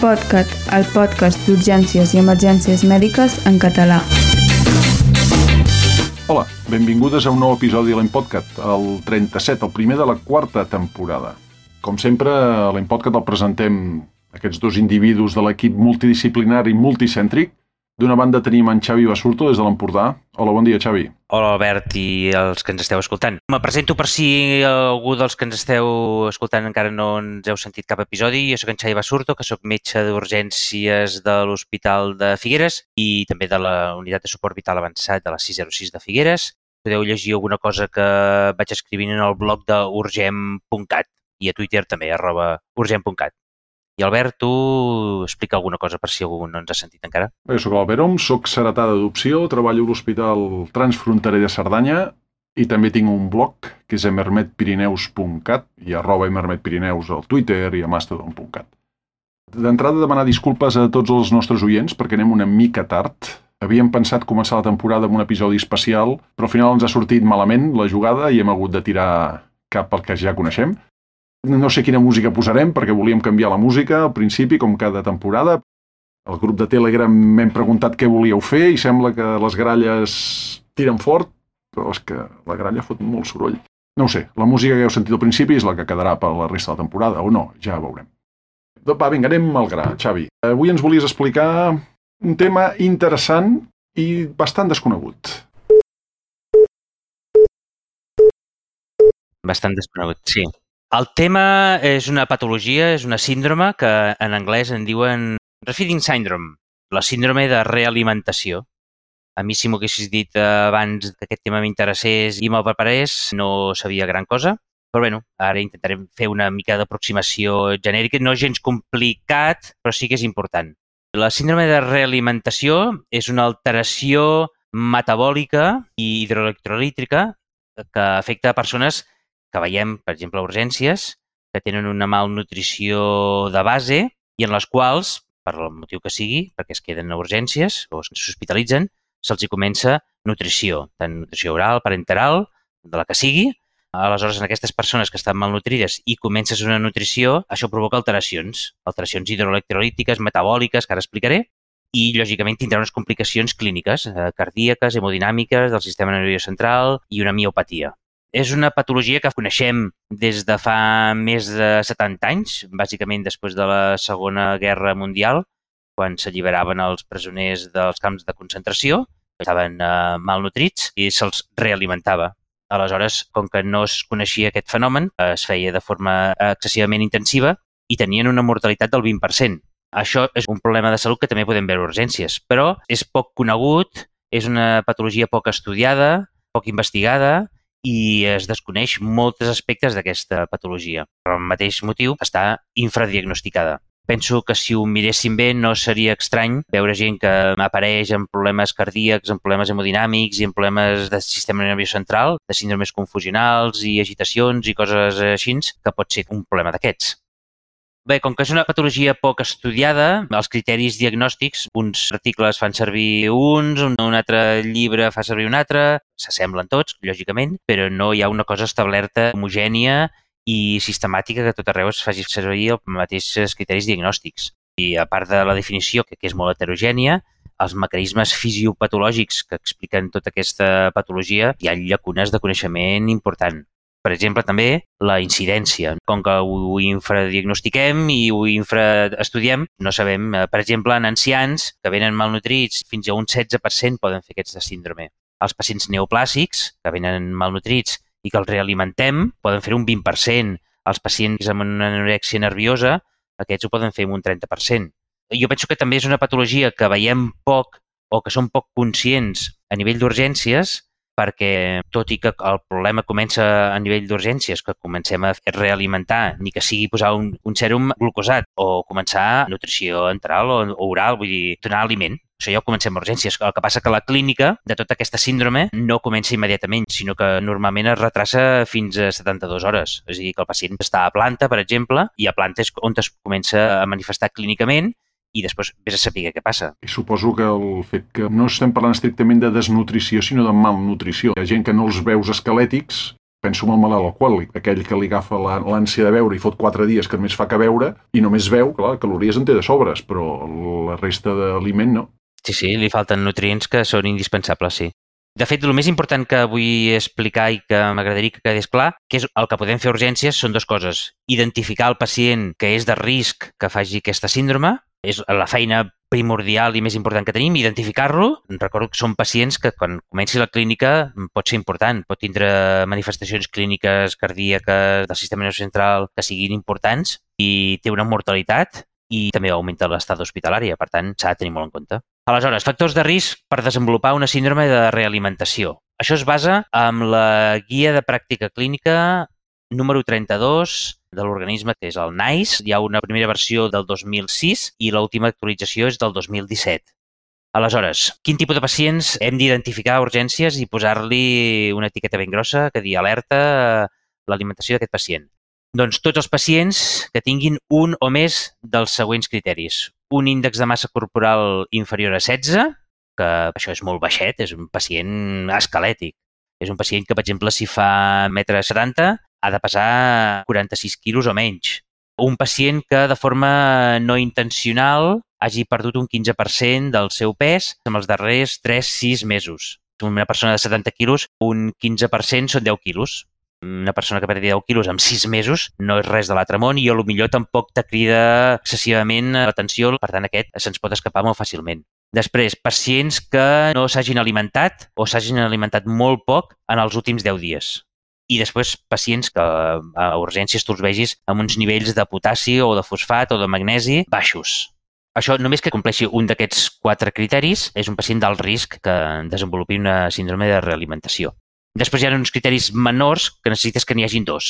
L'EMPodcast, el podcast d'urgències i emergències mèdiques en català. Hola, benvingudes a un nou episodi de l'EMPodcast, el 37, el primer de la quarta temporada. Com sempre, a l'EMPodcast el presentem aquests dos individus de l'equip multidisciplinari multicèntric. D'una banda tenim en Xavi Basurto des de l'Empordà. Hola, bon dia, Xavi. Hola, Albert, i els que ens esteu escoltant. Me presento per si algú dels que ens esteu escoltant encara no ens heu sentit cap episodi. Jo soc en Xavi Basurto, que soc metge d'urgències de l'Hospital de Figueres i també de la Unitat de Suport Vital Avançat de la 606 de Figueres. Podeu llegir alguna cosa que vaig escrivint en el blog d'urgent.cat i a Twitter també, @urgent.cat. I Albert, tu explica alguna cosa per si algú no ens ha sentit encara. Jo soc l'Albert Om, soc heretà d'adopció, treballo a l'Hospital Transfronterer de Cerdanya i també tinc un blog que és emermetpirineus.cat i @emermetpirineus al Twitter i a mastodon.cat. D'entrada, demanar disculpes a tots els nostres oients perquè anem una mica tard. Havíem pensat començar la temporada amb un episodi especial, però al final ens ha sortit malament la jugada i hem hagut de tirar cap al que ja coneixem. No sé quina música posarem perquè volíem canviar la música al principi, com cada temporada. Al grup de Telegram m'hem preguntat què volíeu fer i sembla que les gralles tiren fort, però és que la gralla fot molt soroll. No ho sé, la música que heu sentit al principi és la que quedarà per la resta de la temporada, o no, ja veurem. Va, vinga, anem al gra, Xavi. Avui ens volies explicar un tema interessant i bastant desconegut. Bastant desconegut, sí. El tema és una patologia, és una síndrome que en anglès en diuen Refeeding Syndrome, la síndrome de realimentació. A mi, si m'ho haguessis dit abans que aquest tema m'interessés i me'l preparés, no sabia gran cosa. Però bé, ara intentarem fer una mica d'aproximació genèrica. No és gens complicat, però sí que és important. La síndrome de realimentació és una alteració metabòlica i hidroelectrolítica que afecta a persones que veiem, per exemple, a urgències, que tenen una malnutrició de base i en les quals, per el motiu que sigui, perquè es queden a urgències o s'hospitalitzen, se'ls comença nutrició, tant nutrició oral, parenteral, de la que sigui. Aleshores, en aquestes persones que estan malnutrides i comences una nutrició, això provoca alteracions hidroelectrolítiques, metabòliques, que ara explicaré, i, lògicament, tindrà unes complicacions clíniques, cardíaques, hemodinàmiques, del sistema nerviós central i una miopatia. És una patologia que coneixem des de fa més de 70 anys, bàsicament després de la Segona Guerra Mundial, quan s'alliberaven els presoners dels camps de concentració, que estaven malnutrits, i se'ls realimentava. Aleshores, com que no es coneixia aquest fenomen, es feia de forma excessivament intensiva i tenien una mortalitat del 20%. Això és un problema de salut que també podem veure a urgències, però és poc conegut, és una patologia poc estudiada, poc investigada, i es desconeix molts aspectes d'aquesta patologia. Per el mateix motiu, està infradiagnosticada. Penso que si ho miréssim bé no seria estrany veure gent que apareix amb problemes cardíacs, amb problemes hemodinàmics i amb problemes del sistema nerviós central, de síndromes confusionals i agitacions i coses així, que pot ser un problema d'aquests. Bé, com que és una patologia poc estudiada, els criteris diagnòstics, uns articles fan servir uns, un altre llibre fa servir un altre, s'assemblen tots, lògicament, però no hi ha una cosa establerta, homogènia i sistemàtica que a tot arreu es faci servir els mateixos criteris diagnòstics. I a part de la definició, que és molt heterogènia, els mecanismes fisiopatològics que expliquen tota aquesta patologia, hi ha llacunes de coneixement important. Per exemple, també la incidència. Com que ho infradiagnostiquem i ho infraestudiem, no sabem, per exemple, en ancians que venen malnutrits, fins a un 16% poden fer aquesta síndrome. Els pacients neoplàsics, que venen malnutrits i que els realimentem, poden fer un 20%. Els pacients amb una anorèxia nerviosa, aquests ho poden fer un 30%. Jo penso que també és una patologia que veiem poc o que som poc conscients a nivell d'urgències, perquè tot i que el problema comença a nivell d'urgències, que comencem a realimentar, ni que sigui posar un sèrum glucosat o començar nutrició enteral o oral, vull dir, donar aliment. Això ja ho comencem a urgències. El que passa que la clínica de tota aquesta síndrome no comença immediatament, sinó que normalment es retrassa fins a 72 hores. És a dir, que el pacient està a planta, per exemple, i a planta és on es comença a manifestar clínicament i després vés a saber què passa. I suposo que el fet que no estem parlant estrictament de desnutrició, sinó de malnutrició. Hi ha gent que no els veus esquelètics, penso en el malalt alcohòlic, aquell que li agafa l'ànsia de beure i fot 4 dies que només fa que beure i només veu, clar, calories en té de sobres, però la resta d'aliment no. Sí, li falten nutrients que són indispensables, sí. De fet, el més important que vull explicar i que m'agradaria que quedés clar, que és el que podem fer a urgències, són 2 coses. Identificar el pacient que és de risc que faci aquesta síndrome, és la feina primordial i més important que tenim, identificar-lo. Recordo que són pacients que quan comenci la clínica pot ser important, pot tindre manifestacions clíniques cardíaques del sistema nerviós central que siguin importants i té una mortalitat i també augmenta l'estada hospitalària, per tant, s'ha de tenir molt en compte. Aleshores, factors de risc per desenvolupar una síndrome de realimentació. Això es basa en la Guia de Pràctica Clínica número 32 de l'organisme, que és el NICE. Hi ha una primera versió del 2006 i l'última actualització és del 2017. Aleshores, quin tipus de pacients hem d'identificar a urgències i posar-li una etiqueta ben grossa que digui alerta a l'alimentació d'aquest pacient? Doncs tots els pacients que tinguin un o més dels següents criteris. Un índex de massa corporal inferior a 16, que això és molt baixet, és un pacient esquelètic. És un pacient que, per exemple, si fa 1,70 m, ha de pesar 46 quilos o menys. Un pacient que, de forma no intencional, hagi perdut un 15% del seu pes en els darrers 3-6 mesos. Una persona de 70 quilos, un 15% són 10 quilos. Una persona que perdi 10 quilos en 6 mesos no és res de l'altre món i potser tampoc te crida excessivament l'atenció, per tant aquest se'ns pot escapar molt fàcilment. Després, pacients que no s'hagin alimentat o s'hagin alimentat molt poc en els últims 10 dies. I després, pacients que a urgències tu els vegis amb uns nivells de potassi o de fosfat o de magnesi baixos. Això, només que compleixi un d'aquests 4 criteris, és un pacient d'alt risc que desenvolupi una síndrome de realimentació. Després hi ha uns criteris menors que necessites que n'hi hagin 2.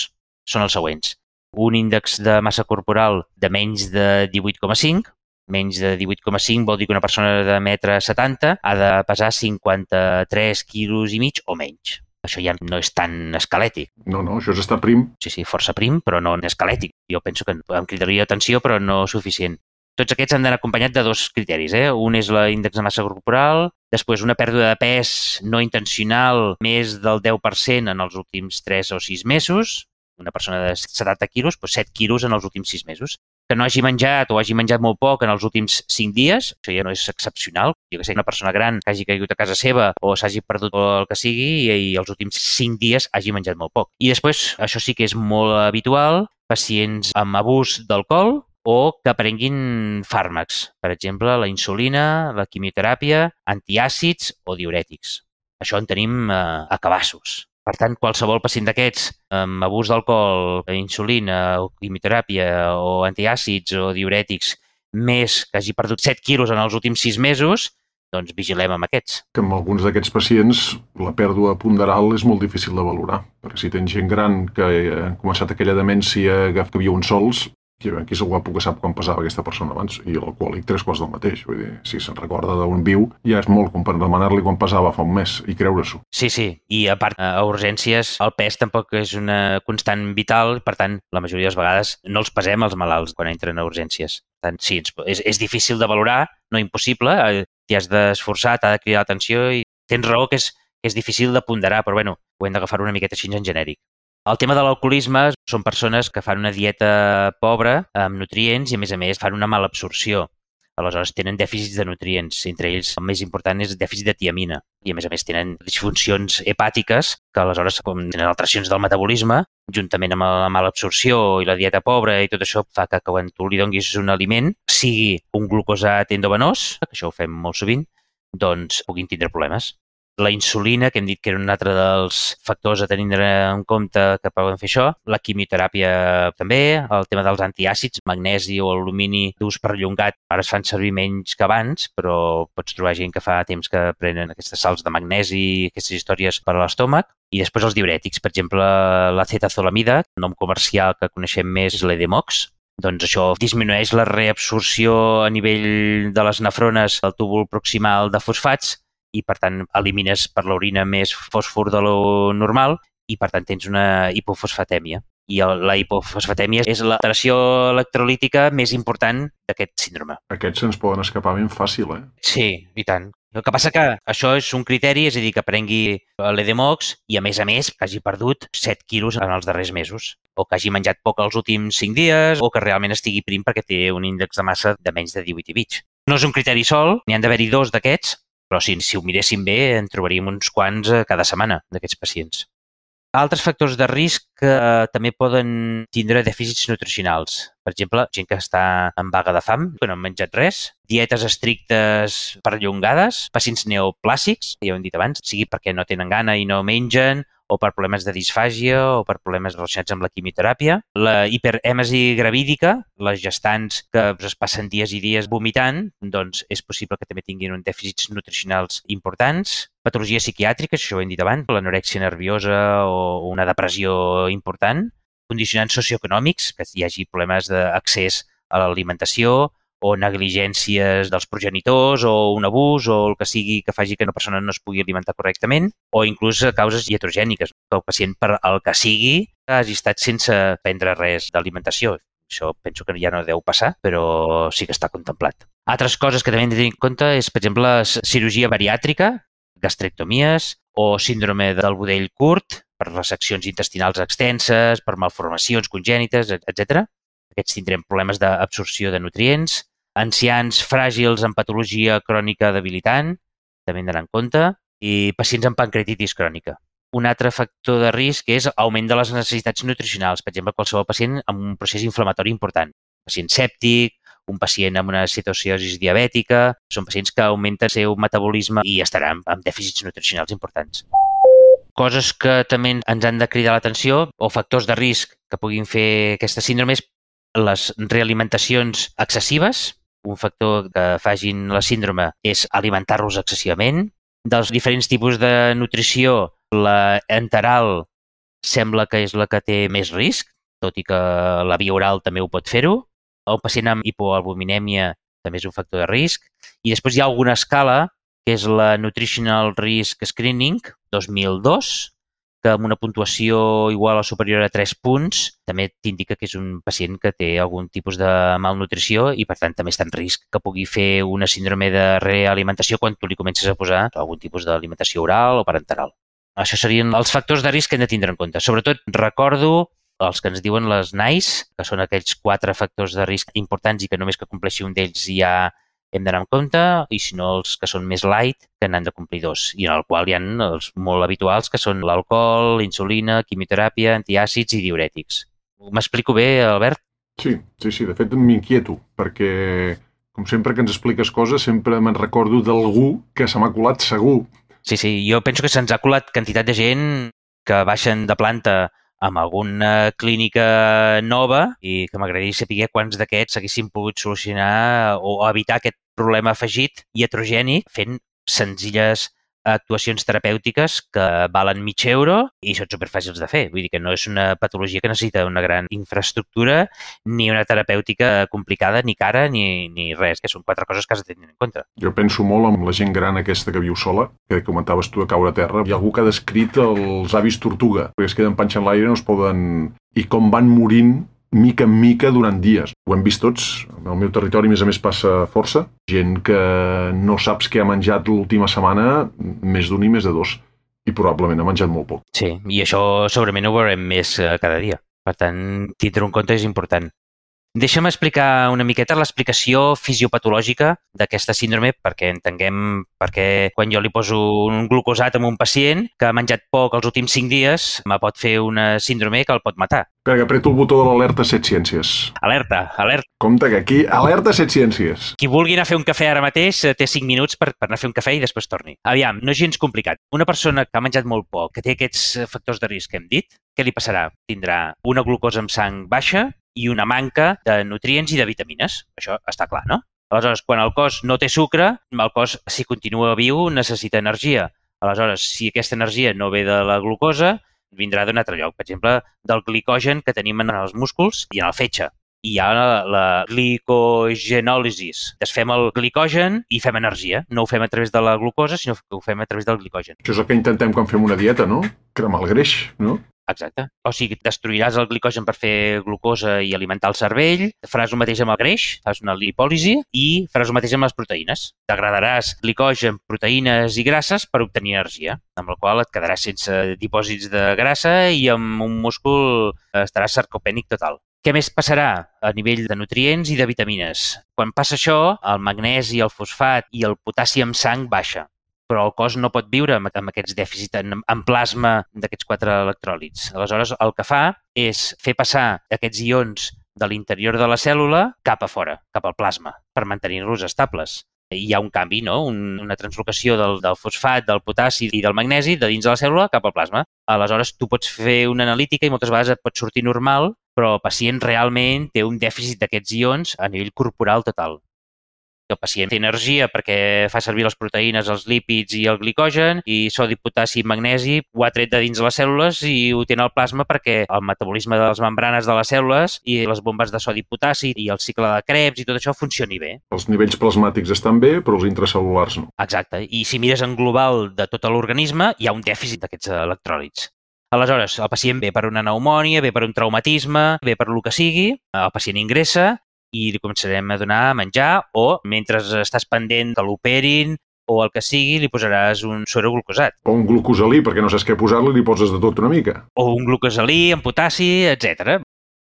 Són els següents. Un índex de massa corporal de menys de 18,5. Menys de 18,5 vol dir que una persona de 1,70 m ha de pesar 53 quilos i mig o menys. Això ja no és tan esquelètic. No, això és estar prim. Sí, força prim, però no esquelètic. Jo penso que em cridaria atenció, però no suficient. Tots aquests han d'anar acompanyats de 2 criteris. Un és l'índex de massa corporal, després una pèrdua de pes no intencional més del 10% en els últims 3 o 6 mesos, una persona de 70 quilos, 7 quilos en els últims 6 mesos. Que no hagi menjat o hagi menjat molt poc en els últims 5 dies, això ja no és excepcional. Jo que sé, una persona gran que hagi caigut a casa seva o s'hagi perdut el que sigui i els últims 5 dies hagi menjat molt poc. I després, això sí que és molt habitual, pacients amb abús d'alcohol, o que prenguin fàrmacs, per exemple, la insulina, la quimioteràpia, antiàcids o diurètics. Això en tenim a cabassos. Per tant, qualsevol pacient d'aquests amb abús d'alcohol, insulina, o quimioteràpia o antiàcids o diurètics, més que hagi perdut 7 quilos en els últims 6 mesos, doncs vigilem amb aquests. Que amb alguns d'aquests pacients la pèrdua ponderal és molt difícil de valorar, perquè si tens gent gran que ha començat aquella demència que viuen sols, qui és el guapo que sap quan pesava aquesta persona abans, i l'alcohòlic 3 quarts del mateix. Vull dir, si se'n recorda d'on viu, ja és molt com per demanar-li quan pesava fa un mes i creure-s'ho. Sí, i a part, a urgències el pes tampoc és una constant vital, per tant, la majoria de les vegades no els pesem els malalts quan entren a urgències. Per tant, sí, és difícil de valorar, no impossible, t'hi has d'esforçar, t'ha de cridar l'atenció i tens raó que és difícil de ponderar, però bueno, ho hem d'agafar una miqueta així en genèric. El tema de l'alcoholisme són persones que fan una dieta pobra amb nutrients i, a més, fan una mala absorció. Aleshores, tenen dèficits de nutrients. Entre ells, el més important és dèficit de tiamina. I, a més, tenen disfuncions hepàtiques que, aleshores, com tenen alteracions del metabolisme, juntament amb la mala absorció i la dieta pobra i tot això, fa que quan tu li donis un aliment, sigui un glucosat endovenós, que això ho fem molt sovint, doncs puguin tindre problemes. La insulina, que hem dit que era un altre dels factors a tenir en compte que poden fer això, la quimioteràpia també, el tema dels antiàcids, magnesi o alumini d'ús perllongat, ara es fan servir menys que abans, però pots trobar gent que fa temps que prenen aquestes sals de magnesi i aquestes històries per a l'estómac. I després els diurètics, per exemple, l'acetazolamida, el nom comercial que coneixem més és l'Edemox. Doncs això disminueix la reabsorció a nivell de les nefrones del túbul proximal de fosfats i, per tant, elimines per l'orina més fòsfor de lo normal i, per tant, tens una hipofosfatèmia. I la hipofosfatèmia és l'alteració electrolítica més important d'aquest síndrome. Aquests se'ns poden escapar ben fàcil, Sí, i tant. El que passa que això és un criteri, és a dir, que prengui l'EDMOX i, a més, que hagi perdut 7 quilos en els darrers mesos, o que hagi menjat poc els últims 5 dies, o que realment estigui prim perquè té un índex de massa de menys de 18,5. No és un criteri sol, n'hi han d'haver-hi 2 d'aquests, però si ho miréssim bé en trobaríem uns quants cada setmana d'aquests pacients. Altres factors de risc que també poden tindre dèficits nutricionals. Per exemple, gent que està en vaga de fam, que no han menjat res, dietes estrictes perllongades, pacients neoplàsics, ja ho hem dit abans, sigui perquè no tenen gana i no mengen, o per problemes de disfàgia, o per problemes relacionats amb la quimioteràpia. La hiperèmesi gravídica, les gestants que es passen dies i dies vomitant, doncs és possible que també tinguin uns dèficits nutricionals importants. Patologies psiquiàtriques, això ho hem dit abans, l'anorèxia nerviosa o una depressió important. Condicionants socioeconòmics, que hi hagi problemes d'accés a l'alimentació, o negligències dels progenitors, o un abús, o el que sigui que faci que una persona no es pugui alimentar correctament, o inclús causes iatrogèniques, que el pacient, per el que sigui, hagi estat sense prendre res d'alimentació. Això penso que ja no deu passar, però sí que està contemplat. Altres coses que també hem de tenir en compte és, per exemple, cirurgia bariàtrica, gastrectomies o síndrome del budell curt per reseccions intestinals extenses, per malformacions congènites, etc. Aquests tindrem problemes d'absorció de nutrients. Ancians fràgils amb patologia crònica debilitant, també hem d'anar en compte, i pacients amb pancreatitis crònica. Un altre factor de risc és augment de les necessitats nutricionals, per exemple, qualsevol pacient amb un procés inflamatori important. Pacient sèptic, un pacient amb una citociosi diabètica, són pacients que augmenten el seu metabolisme i estaran amb dèficits nutricionals importants. Coses que també ens han de cridar l'atenció o factors de risc que puguin fer aquesta síndrome és les realimentacions excessives. Un factor que facin la síndrome és alimentar-los excessivament. Dels diferents tipus de nutrició, la enteral sembla que és la que té més risc, tot i que la via oral també ho pot fer-ho. El pacient amb hipoalbuminèmia també és un factor de risc. I després hi ha alguna escala, que és la Nutritional Risk Screening 2002, que amb una puntuació igual o superior a 3 punts també t'indica que és un pacient que té algun tipus de malnutrició i, per tant, també està en risc que pugui fer una síndrome de realimentació quan tu li comences a posar algun tipus d'alimentació oral o parenteral. Això serien els factors de risc que hem de tindre en compte. Sobretot, recordo els que ens diuen les NICE, que són aquells 4 factors de risc importants i que només que compleixi un d'ells ja hem d'anar en compte, i si no els que són més light, que n'han de complir 2, i en el qual hi ha els molt habituals, que són l'alcohol, insulina, quimioteràpia, antiàcids i diurètics. M'explico bé, Albert? Sí. De fet, m'inquieto, perquè, com sempre que ens expliques coses, sempre me'n recordo d'algú que se m'ha colat segur. Sí, jo penso que se'ns ha colat quantitat de gent que baixen de planta amb alguna clínica nova i que m'agradaria saber quants d'aquests haguessin pogut solucionar o evitar aquest problema afegit iatrogènic fent senzilles actuacions terapèutiques que valen €1.000 i són superfàcils de fer. Vull dir que no és una patologia que necessita una gran infraestructura ni una terapèutica complicada, ni cara, ni res, que són 4 coses que has de tenir en compte. Jo penso molt en la gent gran aquesta que viu sola, que comentaves tu de caure a terra. Hi ha algú que ha descrit els avis tortuga, perquè es queden panxa en l'aire i no es poden... I com van morint mica en mica durant dies. Ho hem vist tots. Al meu territori, a més, passa força. Gent que no saps què ha menjat l'última setmana, més d'un i més de 2. I probablement ha menjat molt poc. Sí, i això segurament ho veurem més cada dia. Per tant, tindre en compte és important. Deixa'm explicar una miqueta l'explicació fisiopatològica d'aquesta síndrome perquè entenguem per què quan jo li poso un glucosat a un pacient que ha menjat poc els últims 5 dies me pot fer una síndrome que el pot matar. Espera, que apreto el botó de l'alerta 7 ciències. Alerta. Compte que aquí, alerta 7 ciències. Qui vulgui anar a fer un cafè ara mateix té 5 minuts per anar a fer un cafè i després torni. Aviam, no és gens complicat. Una persona que ha menjat molt poc, que té aquests factors de risc que hem dit, què li passarà? Tindrà una glucosa amb sang baixa i una manca de nutrients i de vitamines. Això està clar, no? Aleshores, quan el cos no té sucre, el cos, si continua viu, necessita energia. Aleshores, si aquesta energia no ve de la glucosa, vindrà d'un altre lloc. Per exemple, del glicogen que tenim en els músculs i en el fetge. i hi ha la glicogenòlisis. Desfem el glicogen i fem energia. No ho fem a través de la glucosa, sinó que ho fem a través del glicogen. Això és el que intentem quan fem una dieta, no? Cremar el greix, no? Exacte. O sigui, destruiràs el glicogen per fer glucosa i alimentar el cervell, faràs el mateix amb el greix, fas una lipòlisi i faràs el mateix amb les proteïnes. Degradaràs glicogen, proteïnes i grasses per obtenir energia, amb la qual et quedaràs sense dipòsits de grassa i amb un múscul estaràs sarcopènic total. Què més passarà a nivell de nutrients i de vitamines? Quan passa això, el magnesi, el fosfat i el potassi en sang baixa, però el cos no pot viure amb aquests dèficits en plasma d'aquests 4 electròlits. Aleshores, el que fa és fer passar aquests ions de l'interior de la cèl·lula cap a fora, cap al plasma, per mantenir-los estables. Hi ha un canvi, no? Una translocació del fosfat, del potassi i del magnesi de dins de la cèl·lula cap al plasma. Aleshores, tu pots fer una analítica i moltes vegades et pot sortir normal, però el pacient realment té un dèficit d'aquests ions a nivell corporal total. El pacient té energia perquè fa servir les proteïnes, els lípids i el glicogen, i sodi, potassi i magnesi ho ha tret de dins de les cèl·lules i ho té en el plasma perquè el metabolisme de les membranes de les cèl·lules i les bombes de sodi i potassi i el cicle de Krebs i tot això funcioni bé. Els nivells plasmàtics estan bé, però els intracel·lulars no. Exacte. I si mires en global de tot l'organisme, hi ha un dèficit d'aquests electròlits. Aleshores, el pacient ve per una pneumònia, ve per un traumatisme, ve per el que sigui, el pacient ingressa i li començarem a donar a menjar o, mentre estàs pendent que l'operin o el que sigui, li posaràs un suero glucosat. O un glucosalí, perquè no saps què posar-li, li poses de tot una mica. O un glucosalí amb potassi, etc.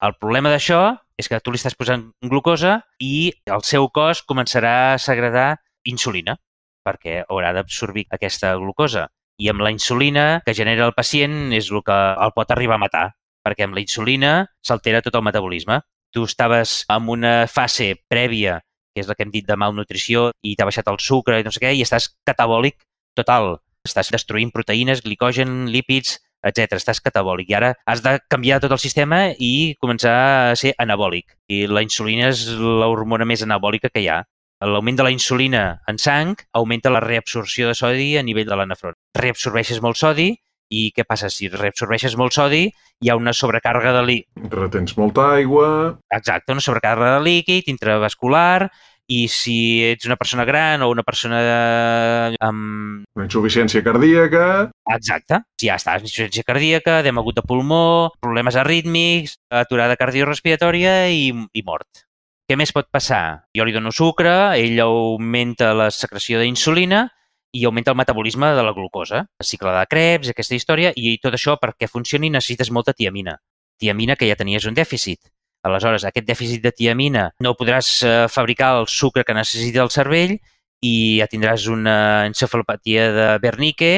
El problema d'això és que tu li estàs posant glucosa i el seu cos començarà a segredar insulina, perquè haurà d'absorbir aquesta glucosa. I amb la insulina que genera el pacient és el que el pot arribar a matar, perquè amb la insulina s'altera tot el metabolisme. Tu estaves en una fase prèvia, que és la que hem dit de malnutrició, i t'ha baixat el sucre i no sé què, i estàs catabòlic total. Estàs destruint proteïnes, glicogen, lípids, etc. Estàs catabòlic. I ara has de canviar tot el sistema i començar a ser anabòlic. I la insulina és l'hormona més anabòlica que hi ha. L'augment de la insulina en sang augmenta la reabsorció de sodi a nivell de la nefrona. Reabsorbeixes molt sodi i què passa? Si reabsorbeixes molt sodi, hi ha una sobrecàrrega de líquid. Retens molta aigua. Exacte, una sobrecàrrega de líquid intravascular, i si ets una persona gran o una persona amb... Una insuficiència cardíaca. Exacte. Si ja estàs amb insuficiència cardíaca, edema agut de pulmó, problemes arrítmics, aturada cardiorrespiratòria i mort. Què més pot passar? Jo li dono sucre, ell augmenta la secreció d'insulina i augmenta el metabolisme de la glucosa, el cicle de Krebs, aquesta història, i tot això perquè funcioni necessites molta tiamina. Tiamina que ja tenies un dèficit. Aleshores, aquest dèficit de tiamina no podràs fabricar el sucre que necessita el cervell i ja tindràs una encefalopatia de Wernicke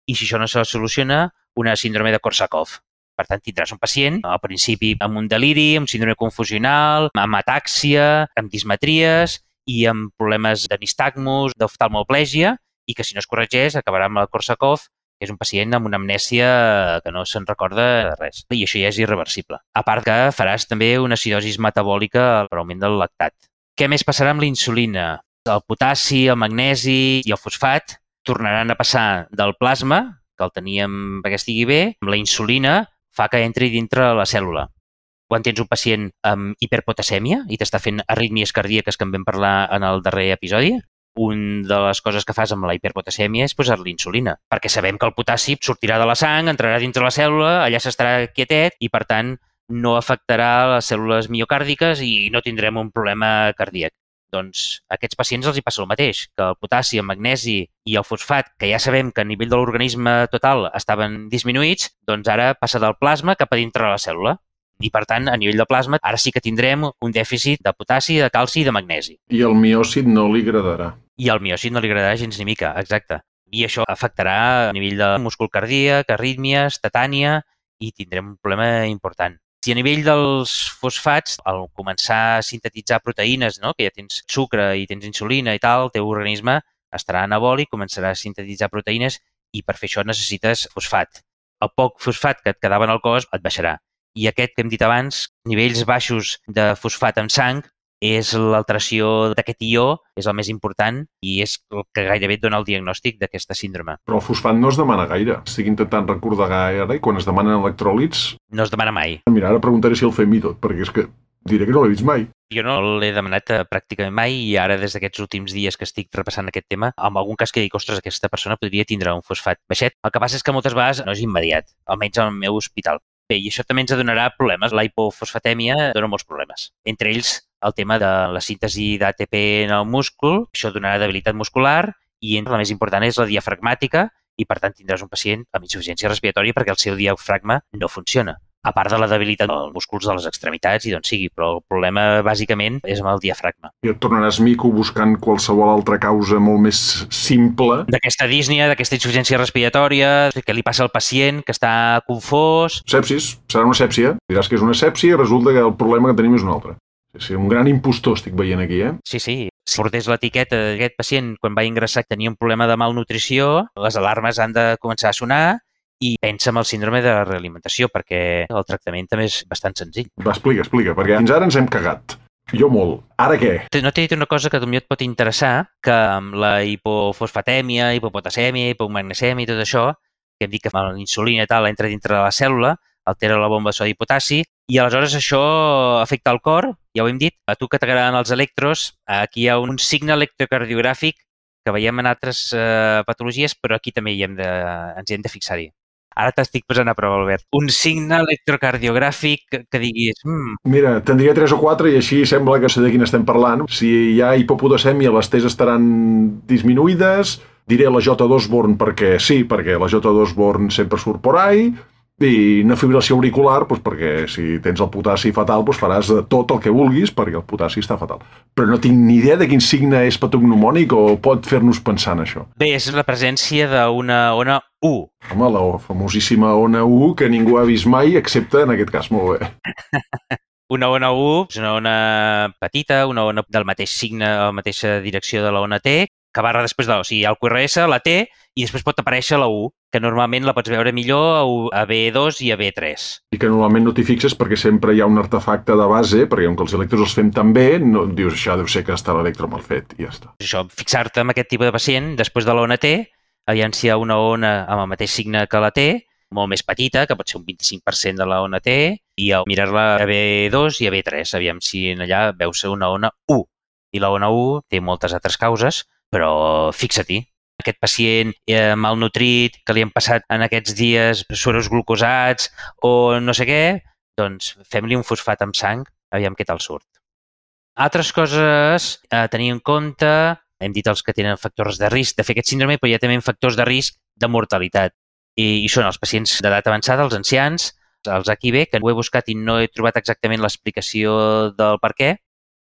i si això no se soluciona, una síndrome de Korsakoff. Per tant, tindràs un pacient, al principi amb un deliri, amb síndrome confusional, amb atàxia, amb dismetries i amb problemes de nistagmus, d'oftalmoplègia, i que si no es corregeix acabarà amb el Korsakoff, que és un pacient amb una amnèsia que no se'n recorda de res. I això ja és irreversible. A part que faràs també una acidosi metabòlica per augment del lactat. Què més passarà amb la insulina? El potassi, el magnesi i el fosfat tornaran a passar del plasma, que el teníem perquè estigui bé, amb la insulina fa que entri dintre la cèl·lula. Quan tens un pacient amb hiperpotasèmia i t'està fent arrítmies cardíaques que en vam parlar en el darrer episodi, una de les coses que fas amb la hiperpotasèmia és posar-li insulina, perquè sabem que el potassi sortirà de la sang, entrarà dintre la cèl·lula, allà s'estarà quietet i, per tant, no afectarà les cèl·lules miocàrdiques i no tindrem un problema cardíac. Doncs a aquests pacients els hi passa el mateix, que el potassi, el magnesi i el fosfat, que ja sabem que a nivell de l'organisme total estaven disminuïts, doncs ara passa del plasma cap a dintre de la cèl·lula. I, per tant, a nivell de plasma, ara sí que tindrem un dèficit de potassi, de calci i de magnesi. I el miòcit no li agradarà. I el miòcit no li agradarà gens ni mica, exacte. I això afectarà a nivell de múscul cardíac, arrítmies, tetània, i tindrem un problema important. Si a nivell dels fosfats, al començar a sintetitzar proteïnes, no? Que ja tens sucre i tens insulina i tal, el teu organisme estarà anabòlic, començarà a sintetitzar proteïnes i per fer això necessites fosfat. El poc fosfat que et quedava en el cos et baixarà. I aquest que hem dit abans, nivells baixos de fosfat en sang, és l'alteració d'aquest ió, és el més important i és el que gairebé et dona el diagnòstic d'aquesta síndrome. Però el fosfat no es demana gaire. Estic intentant recordar gaire i quan es demanen electròlits... No es demana mai. Mira, ara preguntaré si el fem i tot, perquè és que Diré que no l'he vist mai. Jo no l'he demanat pràcticament mai i ara des d'aquests últims dies que estic repassant aquest tema, en algun cas que dic, ostres, aquesta persona podria tindre un fosfat baixet. El que passa és que moltes vegades no és immediat, almenys al meu hospital. Bé, i això també ens donarà problemes. La hipofosfatèmia dona molts problemes. Entre ells, el tema de la síntesi d'ATP en el múscul, això donarà debilitat muscular i la més important és la diafragmàtica i, per tant, tindràs un pacient amb insuficiència respiratòria perquè el seu diafragma no funciona. A part de la debilitat dels músculs de les extremitats i d'on sigui, però el problema bàsicament és amb el diafragma. I et tornaràs mico buscant qualsevol altra causa molt més simple. D'aquesta dísnia, d'aquesta insuficiència respiratòria, què li passa al pacient, que està confós... Sepsis, serà una sèpsia. Diràs que és una sèpsia i resulta que el problema que tenim és un altre. Sí, un gran impostor estic veient aquí, Sí. Si portés l'etiqueta d'aquest pacient quan va ingressar tenia un problema de malnutrició, les alarmes han de començar a sonar i pensa en el síndrome de realimentació, perquè el tractament també és bastant senzill. Va, explica, perquè fins ara ens hem cagat. Jo molt. Ara què? No t'he dit una cosa que potser et pot interessar, que amb la hipofosfatèmia, hipopotasèmia, hipomagnesèmia i tot això, que hem dit que la insulina i tal entra dintre de la cèl·lula, altera la bomba de sodi i potassi, i aleshores això afecta el cor, ja ho hem dit. A tu que t'agraden els electros, aquí hi ha un signe electrocardiogràfic que veiem en altres patologies, però aquí també ens hi hem de fixar-hi. Ara t'estic posant a prova, Albert. Un signe electrocardiogràfic que diguis... Mira, tindria 3 o 4 i així sembla que sé de quin estem parlant. Si hi ha hipopotasèmia, les T's estaran disminuïdes. Diré la J. Osborne perquè sí, perquè la J. Osborne sempre surt por ahí. I una fibrilació auricular, doncs perquè si tens el potassi fatal, doncs faràs de tot el que vulguis perquè el potassi està fatal. Però no tinc ni idea de quin signe és patognomònic o pot fer-nos pensar en això. Bé, és la presència d'una ona U. Home, la famosíssima ona U que ningú ha vist mai, excepte en aquest cas, molt bé. Una ona U és una ona petita, una ona del mateix signe, la mateixa direcció de la ona T, que barra després de la... O sigui, hi ha el QRS, la T, i després pot aparèixer la U, que normalment la pots veure millor a B2 i a B3. I que normalment no t'hi fixes perquè sempre hi ha un artefacte de base, perquè com que els electros els fem tan bé, no, dius, això deu ser que està l'electro mal fet, i ja està. Això, fixar-te en aquest tipus de pacient, després de la ona T, aviam si hi ha una ona amb el mateix signe que la T, molt més petita, que pot ser un 25% de la ona T, i mirar-la a B2 i a B3, aviam si allà veus una ona U. I la ona U té moltes altres causes, però fixa-t'hi. Aquest pacient malnutrit, que li han passat en aquests dies suros glucosats o no sé què, doncs fem-li un fosfat amb sang, aviam què tal surt. Altres coses a tenir en compte, hem dit els que tenen factors de risc de fer aquest síndrome, però hi ha també factors de risc de mortalitat. I són els pacients d'edat avançada, els ancians, els HIV, que ho he buscat i no he trobat exactament l'explicació del per què,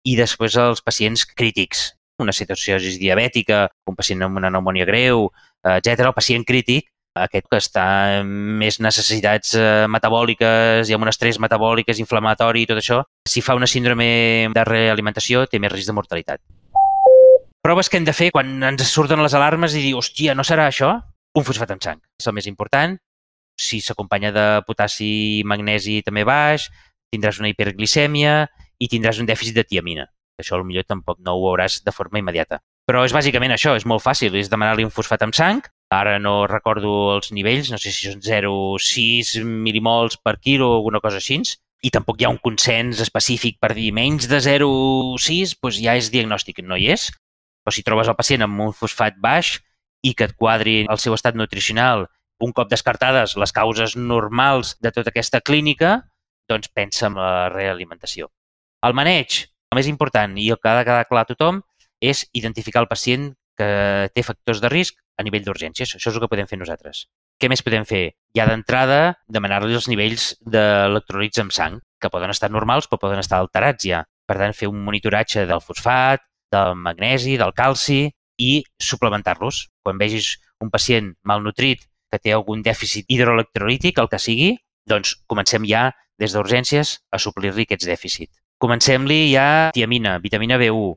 i després els pacients crítics, una cetoacidosi diabètica, un pacient amb una pneumònia greu, etc. El pacient crític, aquest que està amb més necessitats metabòliques i amb un estrès metabòliques, inflamatori i tot això, si fa una síndrome de realimentació té més risc de mortalitat. Proves que hem de fer quan ens surten les alarmes i dir, hòstia, no serà això? Un fosfat amb sang. És el més important. Si s'acompanya de potassi i magnesi també baix, tindràs una hiperglicèmia i tindràs un dèficit de tiamina. Això potser tampoc no ho veuràs de forma immediata. Però és bàsicament això, és molt fàcil, és demanar-li un fosfat amb sang. Ara no recordo els nivells, no sé si són 0,6 milimols per quilo o alguna cosa així, i tampoc hi ha un consens específic per dir menys de 0,6, doncs ja és diagnòstic, no hi és. Però si trobes el pacient amb un fosfat baix i que et quadri el seu estat nutricional, un cop descartades les causes normals de tota aquesta clínica, doncs pensa en la realimentació. El maneig, el més important i el que ha de quedar clar a tothom és identificar el pacient que té factors de risc a nivell d'urgències. Això és el que podem fer nosaltres. Què més podem fer? Ja d'entrada, demanar-li els nivells d'electrolits amb sang, que poden estar normals però poden estar alterats ja. Per tant, fer un monitoratge del fosfat, del magnesi, del calci i suplementar-los. Quan vegis un pacient malnutrit que té algun dèficit hidroelectrolític, el que sigui, doncs comencem ja des d'urgències a suplir-li aquests dèficits. Comencem-li ja tiamina, vitamina B1.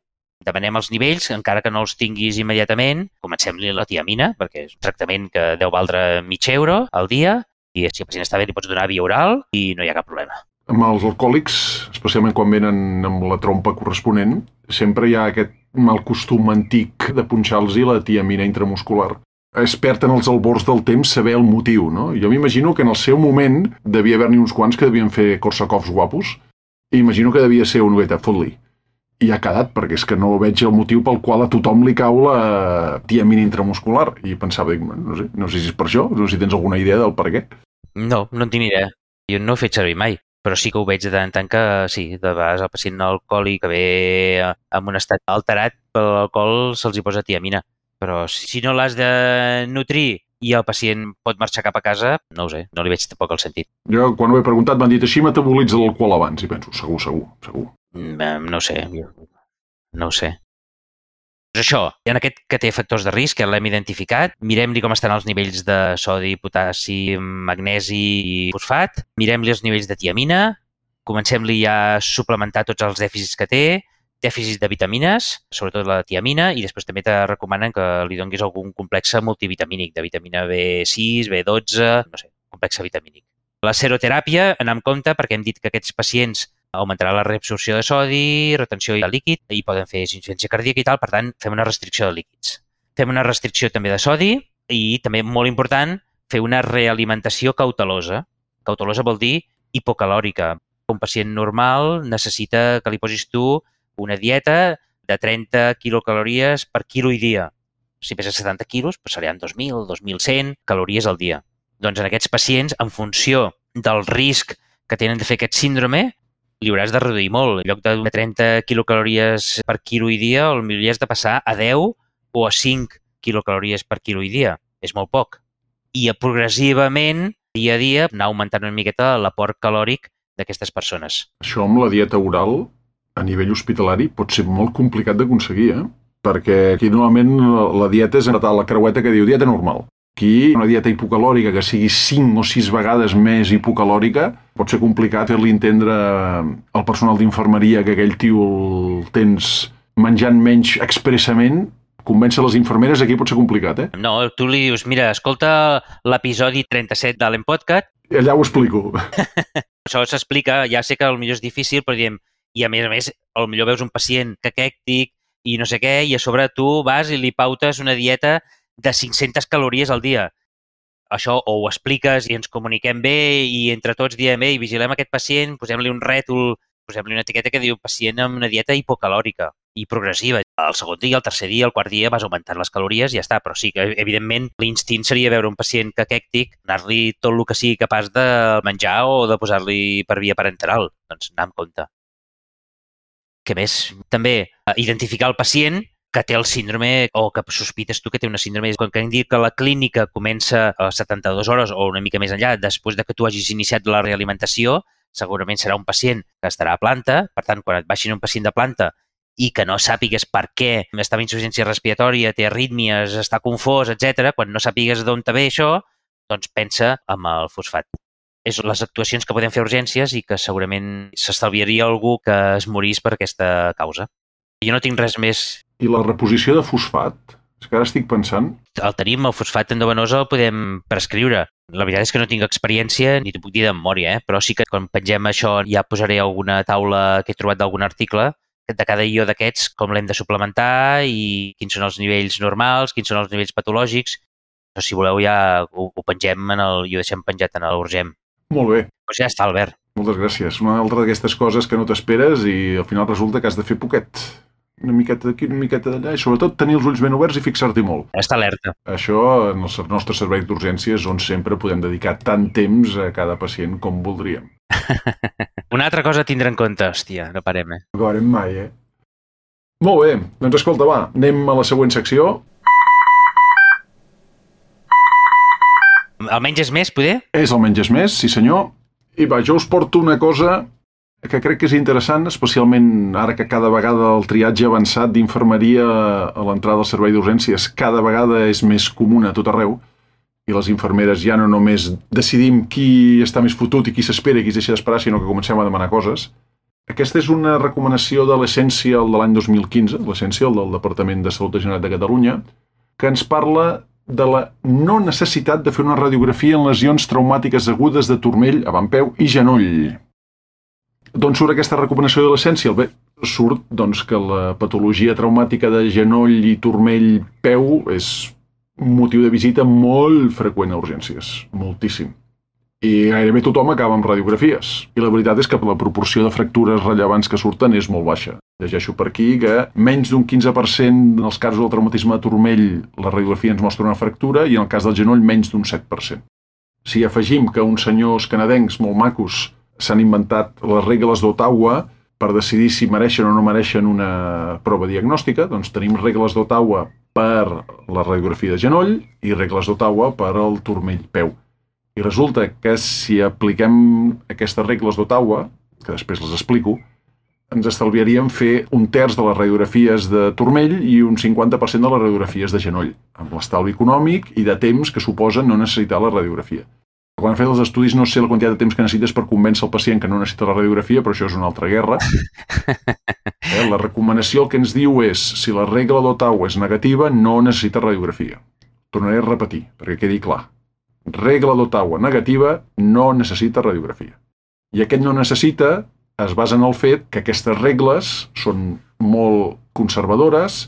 Demanem els nivells, encara que no els tinguis immediatament. Comencem-li la tiamina, perquè és un tractament que deu valdre €0,5 al dia i si el pacient està bé li pots donar via oral i no hi ha cap problema. Amb els alcohòlics, especialment quan venen amb la trompa corresponent, sempre hi ha aquest mal costum antic de punxar-los la tiamina intramuscular. Es perd en els albors del temps saber el motiu, no? Jo m'imagino que en el seu moment devia haver-n'hi uns quants que devien fer Korsakoffs guapos I imagino que devia ser una miqueta fot-li. I ha quedat, perquè és que no veig el motiu pel qual a tothom li cau la tiamina intramuscular. I pensava, dic, no sé si és per això, no sé si tens alguna idea del per què. No en tinc ni idea. Jo no ho he fet servir mai, però sí que ho veig de tant en tant que sí, de vegades el pacient alcohòlic que ve en un estat alterat per l'alcohol se'ls hi posa tiamina. Però si no l'has de nutrir i el pacient pot marxar cap a casa, no ho sé, no li veig tampoc el sentit. Jo, quan ho he preguntat, m'han dit així metabolitza l'alcohol abans, i penso, segur. No sé, no ho sé. Doncs això, en aquest que té factors de risc, que l'hem identificat, mirem-li com estan els nivells de sodi, potassi, magnesi i fosfat, mirem-li els nivells de tiamina, comencem-li ja a suplementar tots els dèficits que té, dèficits de vitamines, sobretot la tiamina, i després també te recomanen que li donguis algun complex multivitamínic, de vitamina B6, B12, no sé, complex vitamínic. La seroteràpia, anem amb compte, perquè hem dit que aquests pacients augmentarà la reabsorció de sodi, retenció de líquid, i poden fer insuficiència cardíaca i tal, per tant, fem una restricció de líquids. Fem una restricció també de sodi i també, molt important, fer una realimentació cautelosa. Cautelosa vol dir hipocalòrica. Un pacient normal necessita que li posis tu una dieta de 30 quilocalories per quilo i dia. Si pesa 70 quilos, doncs seran 2.000, 2.100 calories al dia. Doncs en aquests pacients, en funció del risc que tenen de fer aquest síndrome, li hauràs de reduir molt. En lloc de 30 quilocalories per quilo i dia, potser li has de passar a 10 o a 5 quilocalories per quilo i dia. És molt poc. I progressivament, dia a dia, anar augmentant una miqueta l'aport calòric d'aquestes persones. Això amb la dieta oral, a nivell hospitalari, pot ser molt complicat d'aconseguir, Perquè aquí normalment la dieta és la creueta que diu dieta normal. Aquí una dieta hipocalòrica que sigui 5 o 6 vegades més hipocalòrica pot ser complicat fer-li entendre al personal d'infermeria que aquell tio el tens menjant menys expressament. Convèncer les infermeres aquí pot ser complicat, No, tu li dius, mira, escolta l'episodi 37 d'Allen Podcast. Allà ho explico. Això s'explica, ja sé que potser és difícil, però diem, i a més, potser veus un pacient caquèctic i no sé què, i a sobre tu vas i li pautes una dieta de 500 calories al dia. Això o ho expliques i ens comuniquem bé i entre tots diem, ei, vigilem aquest pacient, posem-li un rètol, posem-li una etiqueta que diu pacient amb una dieta hipocalòrica i progressiva. El segon dia, el tercer dia, el quart dia vas augmentant les calories i ja està. Però sí que, evidentment, l'instint seria veure un pacient caquèctic, anar-li tot el que sigui capaç de menjar o de posar-li per via parenteral. Doncs anar amb compte. Què més? També identificar el pacient que té el síndrome o que sospites tu que té una síndrome. Quan hem dit que la clínica comença a 72 hores o una mica més enllà, després de que tu hagis iniciat la realimentació, segurament serà un pacient que estarà a planta. Per tant, quan et baixin un pacient de planta i que no sàpigues per què està amb insuficiència respiratòria, té arrítmies, està confós, etc., quan no sàpigues d'on te ve això, doncs pensa en el fosfat. És les actuacions que podem fer a urgències i que segurament s'estalviaria algú que es morís per aquesta causa. Jo no tinc res més. I la reposició de fosfat? És que ara estic pensant. El tenim, el fosfat endovenosa el podem prescriure. La veritat és que no tinc experiència ni t'ho puc dir de memòria, però sí que quan pengem això ja posaré alguna taula que he trobat d'algun article de cada ió d'aquests, com l'hem de suplementar i quins són els nivells normals, quins són els nivells patològics. Però si voleu ja ho pengem i ho deixem penjat en l'Urgem. Molt bé. Doncs ja està, Albert. Moltes gràcies. Una altra d'aquestes coses que no t'esperes i al final resulta que has de fer poquet. Una miqueta d'aquí, una miqueta d'allà i sobretot tenir els ulls ben oberts i fixar-t'hi molt. Està alerta. Això en els nostres serveis d'urgències on sempre podem dedicar tant temps a cada pacient com voldríem. Una altra cosa a tindre en compte, hòstia, no parem, No parem mai, Molt bé, doncs escolta, va, anem a la següent secció. El menys és més, poder? És el menys és més, sí senyor. I va, jo us porto una cosa que crec que és interessant, especialment ara que cada vegada el triatge avançat d'infermeria a l'entrada del servei d'urgències cada vegada és més comú a tot arreu i les infermeres ja no només decidim qui està més fotut i qui s'espera i qui es deixa d'esperar, sinó que comencem a demanar coses. Aquesta és una recomanació de l'Essential de l'any 2015, l'Essential del Departament de Salut de Generalitat de Catalunya, que ens parla de la no necessitat de fer una radiografia en lesions traumàtiques agudes de turmell, avantpeu i genoll. D'on surt aquesta recomanació de l'Essential? Bé, surt doncs, que la patologia traumàtica de genoll i turmell-peu és un motiu de visita molt freqüent a urgències, moltíssim. I gairebé tothom acaba amb radiografies. I la veritat és que la proporció de fractures rellevants que surten és molt baixa. Llegeixo per aquí que menys d'un 15% en els casos del traumatisme de turmell la radiografia ens mostra una fractura i en el cas del genoll menys d'un 7%. Si afegim que uns senyors canadencs molt macos s'han inventat les regles d'Ottawa per decidir si mereixen o no mereixen una prova diagnòstica, doncs tenim regles d'Ottawa per la radiografia de genoll i regles d'Ottawa per al turmell peu. I resulta que si apliquem aquestes regles d'Ottawa, que després les explico, ens estalviaríem fer un terç de les radiografies de turmell i un 50% de les radiografies de genoll, amb l'estalvi econòmic i de temps que suposa no necessitar la radiografia. Quan han fet els estudis no sé la quantitat de temps que necessites per convèncer el pacient que no necessita la radiografia, però això és una altra guerra. La recomanació el que ens diu és, si la regla d'Ottawa és negativa, no necessita radiografia. Tornaré a repetir, perquè quedi clar. Regla d'Ottawa negativa, no necessita radiografia. I aquest no necessita es basa en el fet que aquestes regles són molt conservadores,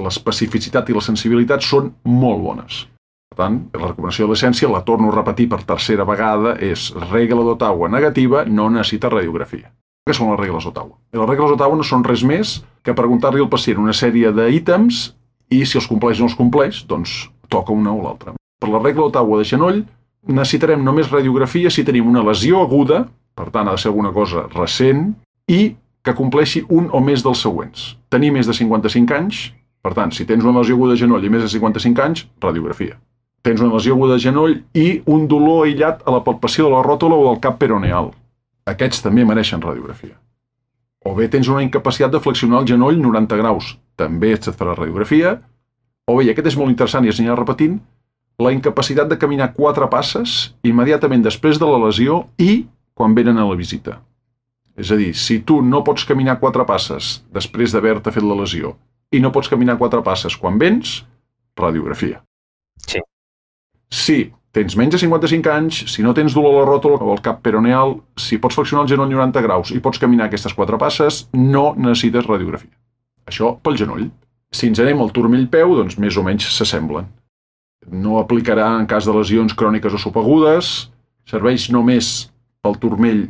l'especificitat i la sensibilitat són molt bones. Per tant, la recomanació de l'essència, la torno a repetir per tercera vegada, és regla d'Ottawa negativa, no necessita radiografia. Què són les regles d'Ottawa? Les regles d'Ottawa no són res més que preguntar-li al pacient una sèrie d'ítems i si els compleix o no els compleix, doncs toca una o l'altra. Per la regla d'Ottawa de genoll, necessitarem només radiografia si tenim una lesió aguda, per tant ha de ser alguna cosa recent, i que compleixi un o més dels següents. Tenir més de 55 anys, per tant, si tens una lesió aguda de genoll i més de 55 anys, radiografia. Tens una lesió aguda de genoll i un dolor aïllat a la palpació de la ròtula o del cap peroneal. Aquests també mereixen radiografia. O bé tens una incapacitat de flexionar el genoll 90 graus, també et farà radiografia. O bé, i aquest és molt interessant i es anirà repetint, la incapacitat de caminar 4 passes immediatament després de la lesió i quan venen a la visita. És a dir, si tu no pots caminar 4 passes després d'haver-te fet la lesió i no pots caminar 4 passes quan vens, radiografia. Sí. Si tens menys de 55 anys, si no tens dolor a la ròtula o al cap peroneal, si pots flexionar el genoll 90 graus i pots caminar aquestes 4 passes, no necessites radiografia. Això pel genoll. Si ens anem al turmell peu, doncs més o menys s'assemblen. No aplicarà en cas de lesions cròniques o subagudes, serveix només pel turmell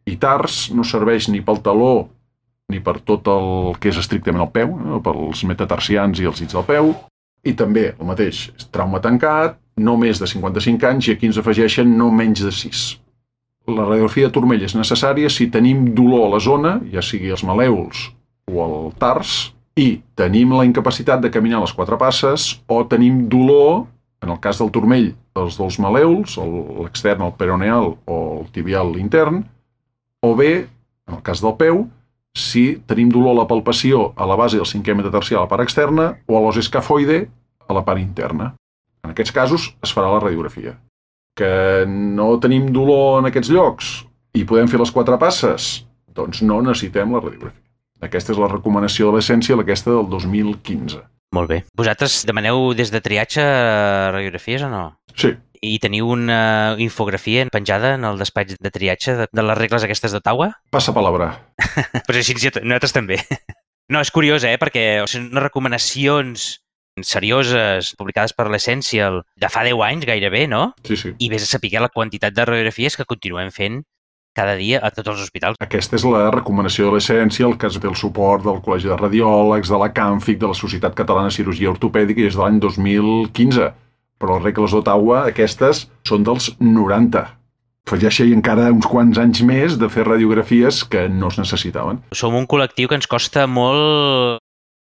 i tars, no serveix ni pel taló ni per tot el que és estrictament el peu, no? Pels metatarsians i els dits del peu, i també el mateix, trauma tancat, no més de 55 anys i aquí ens afegeixen no menys de 6. La radiografia de turmell és necessària si tenim dolor a la zona, ja sigui els malèols o el tars, i tenim la incapacitat de caminar les 4 passes o tenim dolor, en el cas del turmell, dels dos malèols, l'extern, el peroneal o el tibial intern, o bé, en el cas del peu, si tenim dolor a la palpació a la base del 5è metatarsià a la part externa o a l'os escafoide a la part interna. En aquests casos es farà la radiografia. Que no tenim dolor en aquests llocs i podem fer les 4 passes, doncs no necessitem la radiografia. Aquesta és la recomanació de l'essència, aquesta del 2015. Molt bé. Vosaltres demaneu des de triatge radiografies o no? Sí. I teniu una infografia penjada en el despatx de triatge de les regles aquestes d'Ottawa? Passa palabra. Però així nosaltres també. No, és curiós, perquè són unes recomanacions serioses publicades per l'Essential de fa 10 anys gairebé, no? Sí, sí. I vés a saber la quantitat de radiografies que continuem fent cada dia a tots els hospitals. Aquesta és la recomanació de l'Essential, que es ve el suport del Col·legi de Radiòlegs, de la CANFIC, de la Societat Catalana de Cirurgia Ortopèdica i és de l'any 2015. Però les regles d'Ottawa, aquestes, són dels 90. Afegeixi encara uns quants anys més de fer radiografies que no es necessitaven. Som un col·lectiu que ens costa molt.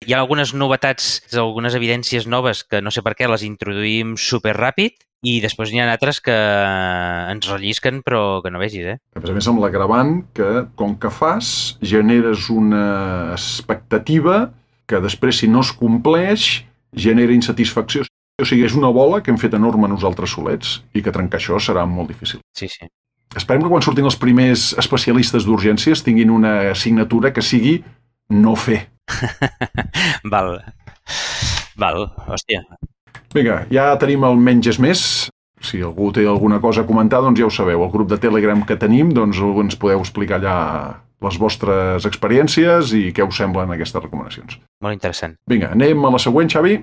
Hi ha algunes novetats, algunes evidències noves que no sé per què les introduïm superràpid i després n'hi ha altres que ens rellisquen però que no vegis, A més amb l'agravant que, com que fas, generes una expectativa que després, si no es compleix, genera insatisfacció. O sigui, és una bola que hem fet enorme nosaltres solets i que trencar això serà molt difícil. Sí, sí. Esperem que quan surtin els primers especialistes d'urgències tinguin una assignatura que sigui no fer. Val, hòstia. Vinga, ja tenim el menys és més. Si algú té alguna cosa a comentar, doncs ja ho sabeu. El grup de Telegram que tenim, doncs ens podeu explicar allà les vostres experiències i què us semblen aquestes recomanacions. Molt interessant. Vinga, anem a la següent, Xavi.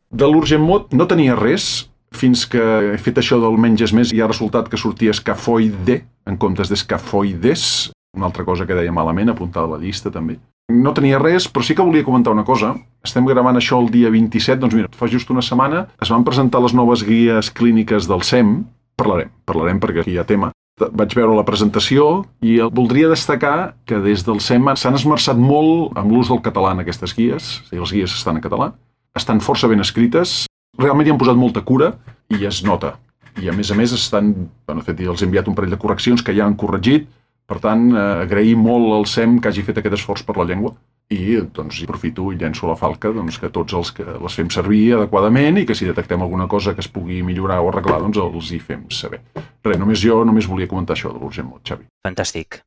De l'Urgent Mod no tenia res, fins que he fet això del menges més i ha resultat que sortia escafoide en comptes d'escafoides, una altra cosa que deia malament, apuntada a la llista també. No tenia res, però sí que volia comentar una cosa. Estem gravant això el dia 27, doncs mira, fa just una setmana es van presentar les noves guies clíniques del SEM. Parlarem perquè aquí hi ha tema. Vaig veure la presentació i voldria destacar que des del SEM s'han esmerçat molt amb l'ús del català en aquestes guies. Les guies estan en català, estan força ben escrites, realment hi han posat molta cura i es nota. I a més estan, de fet, els he enviat un parell de correccions que ja han corregit. Per tant, agrair molt al SEM que hagi fet aquest esforç per la llengua i doncs aprofito i llenço la falca que tots els que les fem servir adequadament i que si detectem alguna cosa que es pugui millorar o arreglar, doncs els hi fem saber. Res, només volia comentar això de l'Urgent Mode, Xavi. Fantàstic.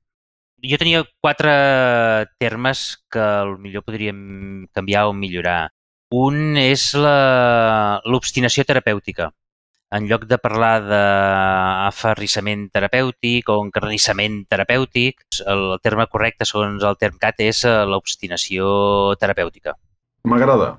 Jo tenia 4 termes que potser podríem canviar o millorar. Un és l'obstinació terapèutica. En lloc de parlar d'aferrissament terapèutic o encarnissament terapèutic, el terme correcte, segons el TERMCAT, és l'obstinació terapèutica. M'agrada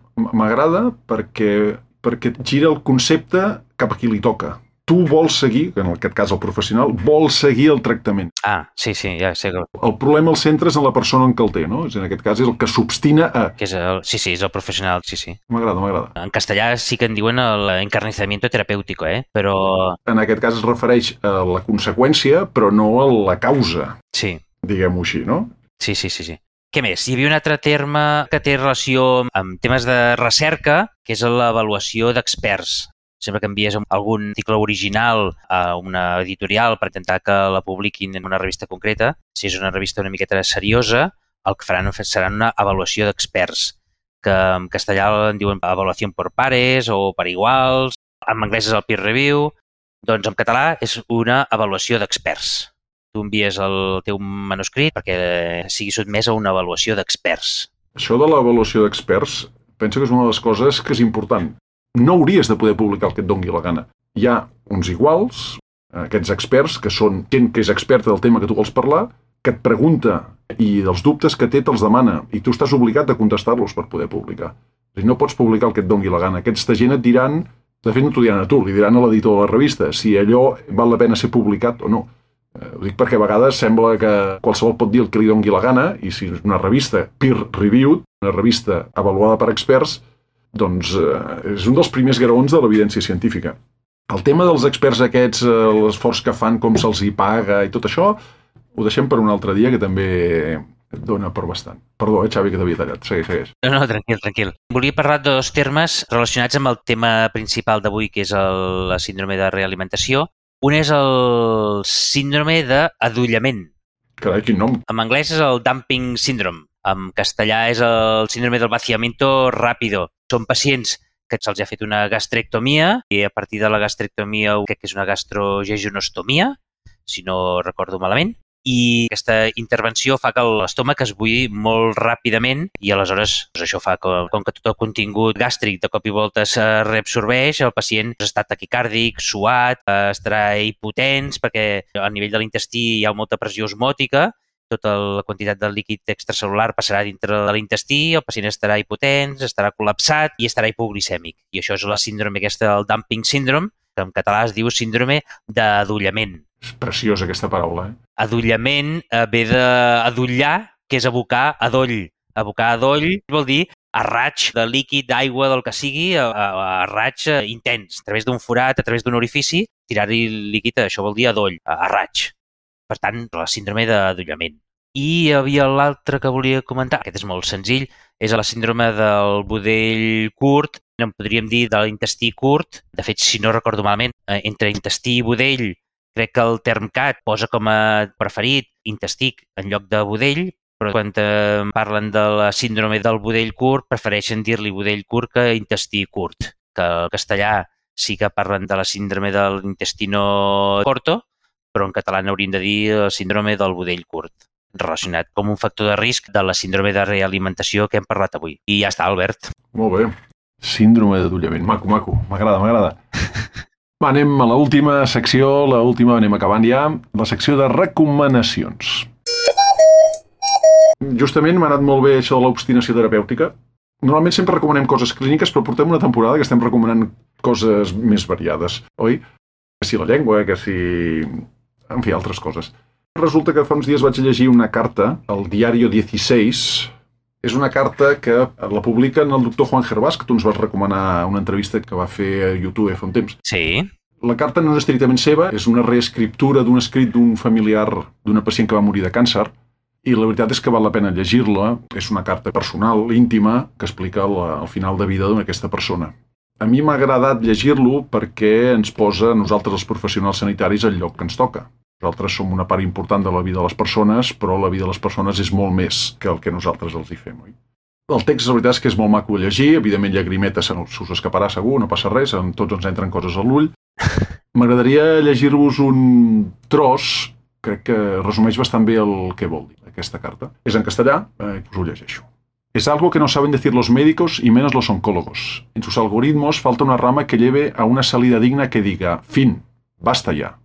perquè gira el concepte cap a qui li toca. Tu vols seguir, en aquest cas el professional, vol seguir el tractament. Ah, sí, ja sé. El problema el centres en la persona en què el té, no? En aquest cas és el que s'obstina a... Sí, és el professional, sí. M'agrada. En castellà sí que en diuen l'encarnissamiento terapèutico, però... En aquest cas es refereix a la conseqüència, però no a la causa. Sí. Diguem-ho així, no? Sí. Què més? Hi havia un altre terme que té relació amb temes de recerca, que és l'avaluació d'experts. Sempre que envies algun article original a una editorial per intentar que la publiquin en una revista concreta, si és una revista una miqueta seriosa, el que faran serà una avaluació d'experts, que en castellà en diuen avaluació per pares o per iguals, en anglès és el peer review, doncs en català és una avaluació d'experts. Tu envies el teu manuscrit perquè sigui sotmès a una avaluació d'experts. Això de l'avaluació d'experts penso que és una de les coses que és important. No hauries de poder publicar el que et doni la gana. Hi ha uns iguals, aquests experts, que són gent que és experta del tema que tu vols parlar, que et pregunta i dels dubtes que té te'ls demana i tu estàs obligat a contestar-los per poder publicar. No pots publicar el que et doni la gana. Aquesta gent et diran, de fet no t'ho diran a tu, li diran a l'editor de la revista, si allò val la pena ser publicat o no. Ho dic perquè a vegades sembla que qualsevol pot dir el que li doni la gana i si és una revista peer-reviewed, una revista avaluada per experts, doncs és un dels primers graons de l'evidència científica. El tema dels experts aquests, l'esforç que fan, com se'ls hi paga i tot això, ho deixem per un altre dia que també et dona per bastant. Perdó, Xavi, que t'havia tallat. Segueix. No, tranquil. Volia parlar de 2 termes relacionats amb el tema principal d'avui, que és la síndrome de realimentació. Un és el síndrome d'adollament. Carai, quin nom. En anglès és el dumping syndrome. En castellà és el síndrome del vaciamiento rápido. Són pacients que se'ls ha fet una gastrectomia i a partir de la gastrectomia crec que és una gastrojejunostomia, si no recordo malament, i aquesta intervenció fa que l'estómac es buidi molt ràpidament i aleshores això fa que, com que tot el contingut gàstric de cop i volta es reabsorbeix, el pacient està taquicàrdic, suat, estarà hipotens perquè a nivell de l'intestí hi ha molta pressió osmòtica, tota la quantitat de líquid extracel·lular passarà dintre de l'intestí, el pacient estarà hipotens, estarà col·lapsat i estarà hipoglicèmic. I això és la síndrome aquesta del dumping syndrome, que en català es diu síndrome d'adollament. És preciosa aquesta paraula, Adollament ve d'adollar, que és abocar adoll. Abocar adoll vol dir a raig de líquid, d'aigua, del que sigui, a raig intens, a través d'un forat, a través d'un orifici, tirar-hi líquid, això vol dir adoll, a raig. Per tant, la síndrome d'adollament. I hi havia l'altre que volia comentar, aquest és molt senzill, és la síndrome del budell curt, en podríem dir de l'intestí curt. De fet, si no recordo malament, entre intestí i budell, crec que el TERMCAT posa com a preferit intestí en lloc de budell, però quan parlen de la síndrome del budell curt, prefereixen dir-li budell curt que intestí curt. Que al castellà sí que parlen de la síndrome de l'intestino corto, però en català n'hauríem de dir síndrome del budell curt, relacionat com un factor de risc de la síndrome de realimentació que hem parlat avui. I ja està, Albert. Molt bé. Síndrome d'adollament. Maco. M'agrada. Va, anem a l'última secció, anem acabant ja, la secció de recomanacions. Justament m'ha anat molt bé això de l'obstinació terapèutica. Normalment sempre recomanem coses clíniques, però portem una temporada que estem recomanant coses més variades, oi? Que si la llengua, que si... En fi, altres coses. Resulta que fa uns dies vaig llegir una carta al Diario 16. És una carta que la publica el doctor Juan Gervás, que tu ens vas recomanar una entrevista que va fer a YouTube fa un temps. Sí. La carta no és estrictament seva, és una reescriptura d'un escrit d'un familiar d'una pacient que va morir de càncer, i la veritat és que val la pena llegir-la. És una carta personal, íntima, que explica el final de vida d'aquesta persona. A mi m'ha agradat llegir-lo perquè ens posa a nosaltres, els professionals sanitaris, al lloc que ens toca. Nosaltres som una part important de la vida de les persones, però la vida de les persones és molt més que el que nosaltres els hi fem, oi? El text, la veritat és que és molt maco de llegir, evidentment llagrimeta se us escaparà segur, no passa res, amb tots ens entren coses a l'ull. M'agradaria llegir-vos un tros, crec que resumeix bastant bé el que vol dir aquesta carta. És en castellà, us ho llegeixo. Es algo que no saben decir los médicos y menos los oncólogos. En sus algoritmos falta una rama que lleve a una salida digna que diga, fin, basta ya.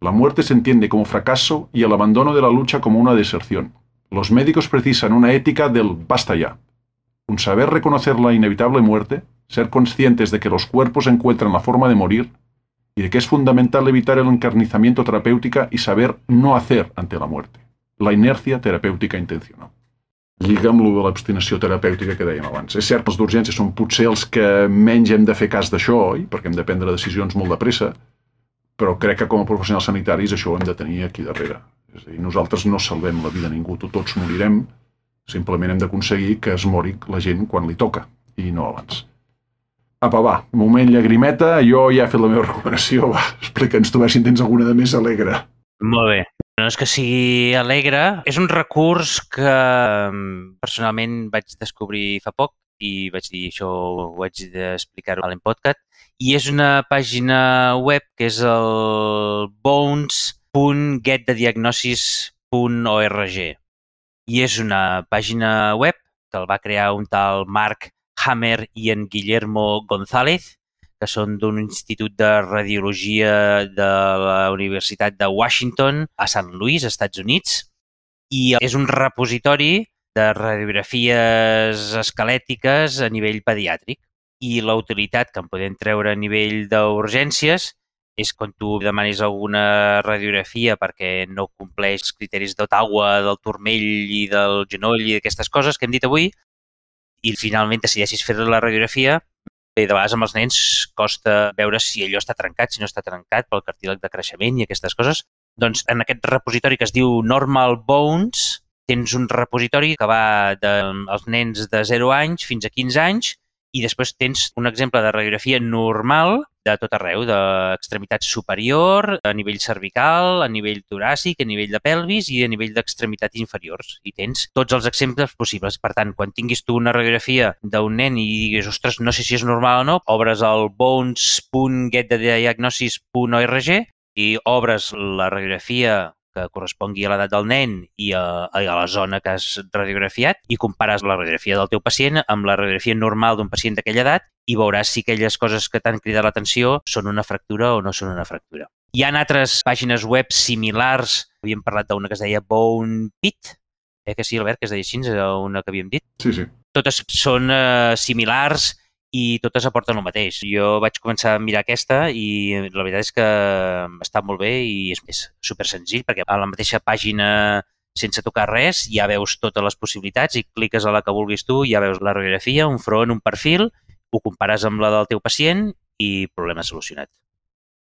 La muerte se entiende como fracaso y el abandono de la lucha como una deserción. Los médicos precisan una ética del basta ya. Un saber reconocer la inevitable muerte, ser conscientes de que los cuerpos encuentran la forma de morir y de que es fundamental evitar el encarnizamiento terapéutica y saber no hacer ante la muerte. La inercia terapèutica intencional. Lliga amb lo de l'abstinació terapèutica que dèiem abans. És cert que els d'urgència són potser els que menys hem de fer cas d'això, oi? Perquè hem de prendre decisions molt de pressa, però crec que com a professionals sanitaris això ho hem de tenir aquí darrere. És a dir, nosaltres no salvem la vida a ningú, tots morirem, simplement hem d'aconseguir que es mori la gent quan li toca, i no abans. Apa, va, moment llagrimeta, jo ja he fet la meva recomanació, va, explica'ns tu, si en tens alguna de més alegre. Molt bé. No és que sigui alegre, és un recurs que personalment vaig descobrir fa poc i vaig dir això ho haig d'explicar-ho a l'Empodcat, i és una pàgina web que és el bones.getthediagnosis.org i és una pàgina web que el va crear un tal Mark Hammer i en Guillermo González, que són d'un institut de radiologia de la Universitat de Washington a Sant Louis, Estats Units, i és un repositori de radiografies esquelètiques a nivell pediàtric. I la utilitat que en podem treure a nivell d'urgències és quan tu demanis alguna radiografia perquè no compleix els criteris d'Ottawa, del turmell i del genoll i d'aquestes coses que hem dit avui, i finalment decideixis fer la radiografia. Bé, de vegades amb els nens costa veure si allò està trencat, si no està trencat pel cartílag de creixement i aquestes coses. Doncs en aquest repositori que es diu Normal Bones tens un repositori que va dels nens de 0 anys fins a 15 anys i després tens un exemple de radiografia normal de tot arreu, d'extremitat superior, a nivell cervical, a nivell toràcic, a nivell de pelvis i a nivell d'extremitats inferiors. I tens tots els exemples possibles. Per tant, quan tinguis tu una radiografia d'un nen i diguis, ostres, no sé si és normal o no, obres el bones.getthediagnosis.org i obres la radiografia que correspongui a l'edat del nen i a la zona que has radiografiat i compares la radiografia del teu pacient amb la radiografia normal d'un pacient d'aquella edat i veuràs si aquelles coses que t'han cridat l'atenció són una fractura o no són una fractura. Hi ha altres pàgines web similars. Havíem parlat d'una que es deia Bone Pit, que sí, Albert, que es deia així, és una que havíem dit. Sí, sí. Totes són similars i totes aporten el mateix. Jo vaig començar a mirar aquesta i la veritat és que està molt bé i és super senzill perquè a la mateixa pàgina, sense tocar res, ja veus totes les possibilitats i cliques a la que vulguis tu, ja veus la radiografia, un front, un perfil, ho compares amb la del teu pacient i problema solucionat.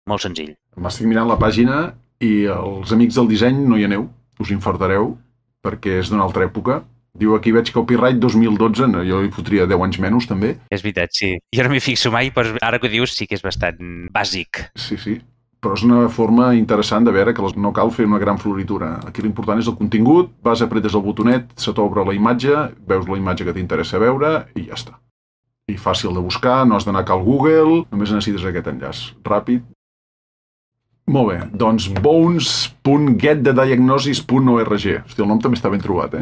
Molt senzill. M'estic mirant la pàgina i els amics del disseny no hi aneu, us infartareu, perquè és d'una altra època. Diu aquí veig copyright 2012, no, jo hi fotria 10 anys menys també. És veritat, sí. Jo no m'hi fixo mai, però ara que ho dius sí que és bastant bàsic. Sí, sí. Però és una forma interessant de veure que no cal fer una gran floritura. Aquí l'important és el contingut, vas, apretes el botonet, se t'obre la imatge, veus la imatge que t'interessa veure i ja està. I fàcil de buscar, no has d'anar al Google, només necessites aquest enllaç. Ràpid. Molt bé, doncs bones.getthediagnosis.org. Hosti, el nom també està ben trobat,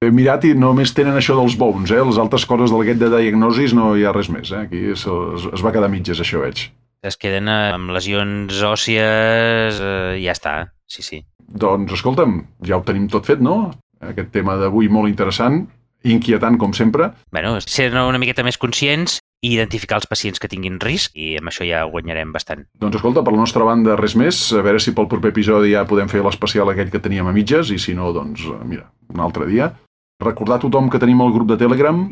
He mirat i només tenen això dels bones, Les altres coses del Get the Diagnosis no hi ha res més, Aquí es va quedar mitges, això veig. Es queden amb lesions òssies, ja està, sí. Doncs, escolta'm, ja ho tenim tot fet, no? Aquest tema d'avui molt interessant. inquietant, com sempre. Bueno, ser una miqueta més conscients i identificar els pacients que tinguin risc i amb això ja guanyarem bastant. Doncs escolta, per la nostra banda res més, a veure si pel proper episodi ja podem fer l'especial aquell que teníem a mitges i si no, doncs, mira, un altre dia. Recordar a tothom que tenim el grup de Telegram,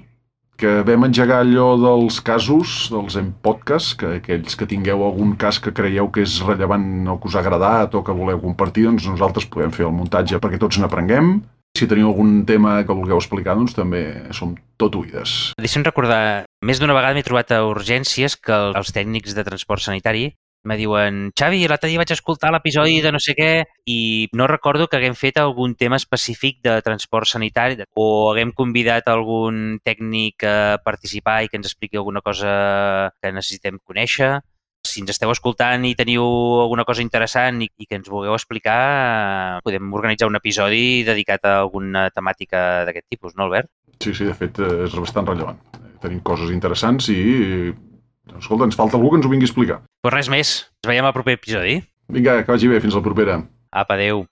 que vam engegar allò dels casos, dels podcast, que aquells que tingueu algun cas que creieu que és rellevant o que us ha agradat o que voleu compartir, doncs nosaltres podem fer el muntatge perquè tots n'aprenguem. Si teniu algun tema que vulgueu explicar, doncs també som tot oïdes. Deixa'm recordar, més d'una vegada m'he trobat a urgències que els tècnics de transport sanitari me diuen Xavi, l'altre dia vaig escoltar l'episodi de no sé què i no recordo que haguem fet algun tema específic de transport sanitari o haguem convidat algun tècnic a participar i que ens expliqui alguna cosa que necessitem conèixer. Si ens esteu escoltant i teniu alguna cosa interessant i que ens vulgueu explicar, podem organitzar un episodi dedicat a alguna temàtica d'aquest tipus, no, Albert? Sí, de fet, és bastant rellevant. Tenim coses interessants i, escolta, ens falta algú que ens ho vingui a explicar. Pues res més. Ens veiem al proper episodi. Vinga, que vagi bé. Fins la propera. Apa, adéu.